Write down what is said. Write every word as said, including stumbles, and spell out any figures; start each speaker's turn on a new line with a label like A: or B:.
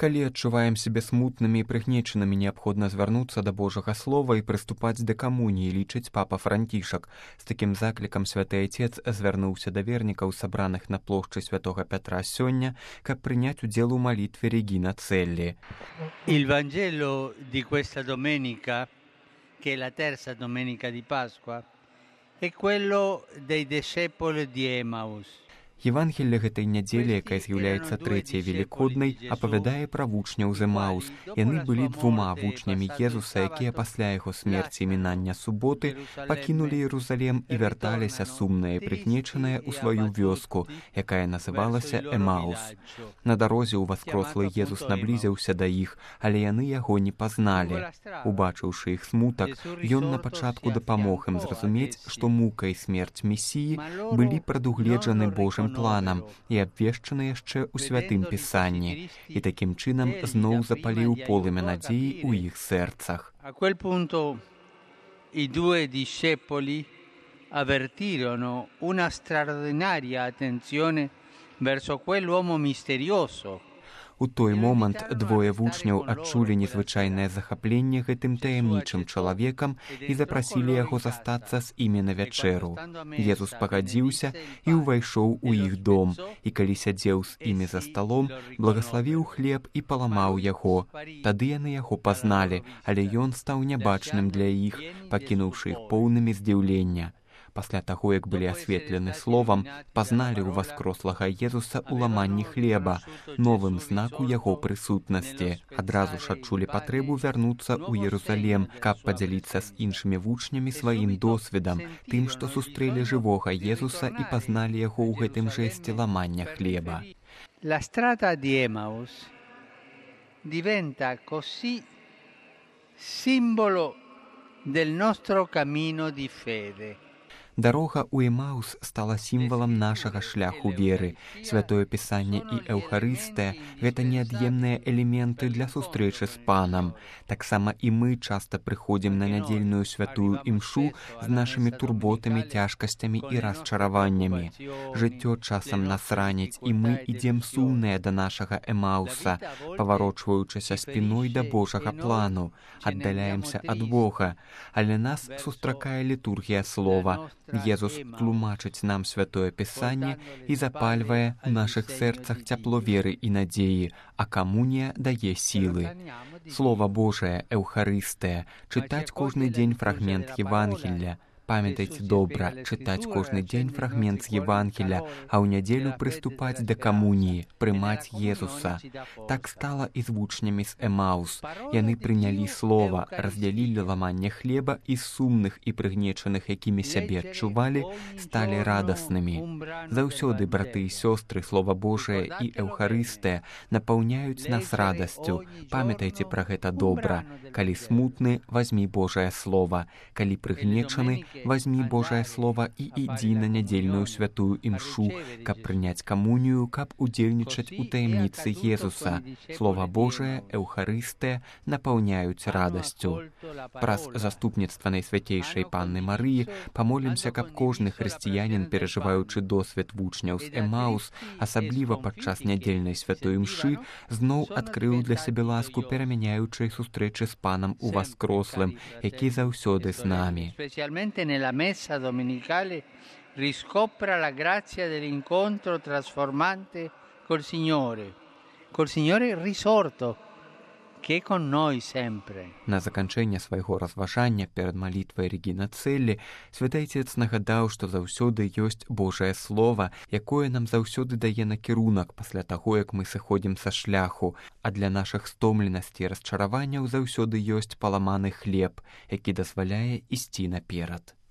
A: Калі адчуваем сябе смутнымі і прыгнечанымі, неабходна звярнуцца да Божага слова і прыступаць да камуніі, лічыць папа Францішак. З такім заклікам святы Отец звярнуўся да вернікаў, сабраных на плошчы святога Пятра сёння, каб прыняць удзел у малітве Регина Целли.
B: Il Vangelo di questa domenica, che è la terza domenica di Pasqua, è quello dei discepoli di Emmaus.
A: Євангелле гэтай нядзелі, якая з'яўляецца трэцяй велікоднай, апавядае пра вучняў з Эмаус. Яны былі двума вучнямі Езуса, якія пасля яго смерці і мінання суботы пакінулі Іерусалем і вярталіся сумныя і прыгнечаныя ў сваю вёску, якая называлася Эмаус. На дарозе ўваскрослы Езус наблізіўся да іх, але яны яго не пазналі. Убачыўшы іх смутак, ён на пачатку дапамог ім зразумець, што мука і смерць Месіі былі прадугледжаны Божым планам і абвешчаны яшчэ ў святым пісанні, і такім чынам зноў запаліў полымя надзеі ў іх сэрцах.
B: A quel punto i due discepoli avvertirono una straordinaria attenzione verso quell'uomo misterioso.
A: У той момант двое вучняў адчулі незвычайнае захапленне гэтым таямнічым чалавекам і запрасілі яго застацца з імі на вячэру. Езус пагадзіўся і ўвайшоў у іх дом, і калі сядзеў з імі за сталом, благаславіў хлеб і паламаў яго. Тады яны яго пазналі, але ён стаў нябачным для іх, пакінуўшы іх поўнымі здзіўлення. Пасля таго, як былі асветлены словам, пазналі ў васкрослага Езуса ў ламанні хлеба, новым знаку яго прысутнасці. Адразу ж адчулі патрэбу вярнуцца ў Іерусалем, каб падзяліцца з іншымі вучнямі сваім досведам, тым, што сустрэлі жывога Езуса і пазналі яго ў гэтым жэсце ламання хлеба.
B: La strada di Emmaus diventa così simbolo del nostro cammino di fede.
A: Дарога ў Эмаус стала сімвалам нашага шляху веры. Святое Пісанне і Эўхарыстыя – гэта неад'емныя элементы для сустрэчы з Панам. Таксама і мы часта прыходзім на нядзельную святую імшу з нашымі турботамі, цяжкасцямі і расчараваннямі. Жыццё часам нас раніць, і мы ідзем сумныя да нашага Эмауса, паварочваючыся спіной да Божага плану, аддаляемся ад Бога, але нас сустракае літургія слова. Езус тлумачыць нам святое Пісанне і запальвае ў нашых сэрцах цяпло веры і надзеі, а камунія дае сілы. Слова Божае, Эўхарыстыя, чытаць кожны дзень фрагмент Євангелля. Памятайце добра, чытаць кожны дзень фрагмент з Євангеля, а ў нядзелю прыступаць да камуніі, прымаць Езуса. Так стала і з вучнямі з Эмаус. Яны прынялі слова, раздзялілі ламанне хлеба і сумных і прыгнечаных, якімі сябе адчувалі, сталі радаснымі. Заўсёды, браты і сёстры, Слова Божае і Эўхарыстыя напаўняюць нас радасцю. Памятайце пра гэта добра. Калі смутны, вазьмі Божае Слова. Калі прыгнечаны, возьми Божае Слово і ідзі на нядзельную святую імшу, каб прыняць камунію, каб удзельнічаць у таямніцы Езуса. Слова Божае, Эўхарыстыя напаўняюць радасцю. Праз заступніцтва Найсвяцейшай Панны Марыі памолімся, каб кожны хрысціянін, перажываючы досвед вучняў з Эмаус, асабліва падчас нядзельнай святой імшы, зноў адкрыў для сябе ласку перамяняючай сустрэчы з Панам Уваскрослым, які заўсёды з намі.
B: Nella messa domenicale riscopra la grazia dell'incontro trasformante col Signore, col Signore risorto, che è con noi sempre.
A: На заканчэнне свайго разважання перад малітвай Регина Целли святы Отец нагадаў, што заўсёды ёсць Божае Слова, якое нам заўсёды дае накірунак пасля таго, як мы сыходзім са шляху, а для нашых стомленасці і расчараванняў заўсёды ёсць паламаны хлеб, які дазваляе ісці наперад.